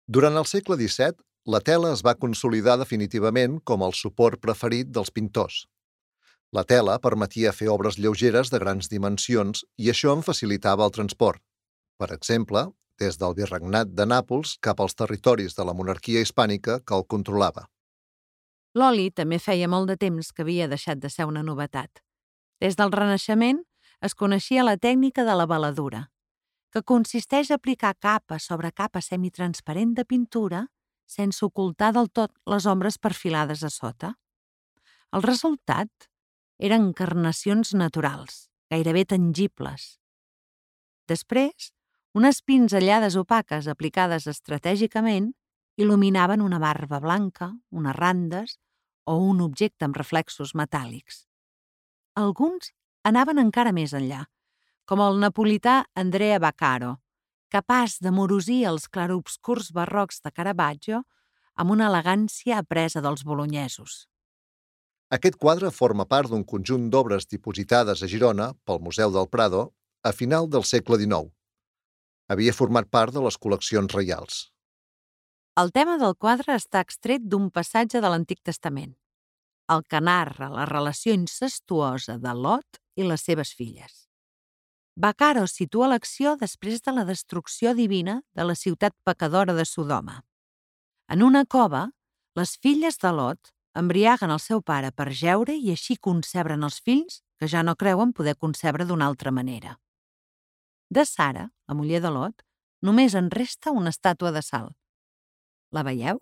Durant el segle XVII, la tela es va consolidar definitivament com el suport preferit dels pintors. La tela permetia fer obres lleugeres de grans dimensions i això en facilitava el transport. Per exemple, des del virregnat de Nàpols cap als territoris de la monarquia hispànica que el controlava. L'oli també feia molt de temps que havia deixat de ser una novetat. Des del Renaixement es coneixia la tècnica de la veladura, que consisteix a aplicar capa sobre capa semitransparent de pintura sense ocultar del tot les ombres perfilades a sota. El resultat eren encarnacions naturals, gairebé tangibles. Després, unes pinzellades opaques aplicades estratègicament il·luminaven una barba blanca, unes randes o un objecte amb reflexos metàl·lics. Alguns anaven encara més enllà, com el napolità Andrea Vaccaro, capaç d'amorosir els clarobscurs barrocs de Caravaggio amb una elegància apresa dels bolonyesos. Aquest quadre forma part d'un conjunt d'obres dipositades a Girona pel Museu del Prado a final del segle XIX. Havia format part de les col·leccions reials. El tema del quadre està extret d'un passatge de l'Antic Testament, el que narra la relació incestuosa de Lot i les seves filles. Vaccaro situa l'acció després de la destrucció divina de la ciutat pecadora de Sodoma. En una cova, les filles de Lot embriaguen el seu pare per jeure i així concebren els fills que ja no creuen poder concebre d'una altra manera. De Sara, la muller de Lot, només en resta una estàtua de sal. La veieu?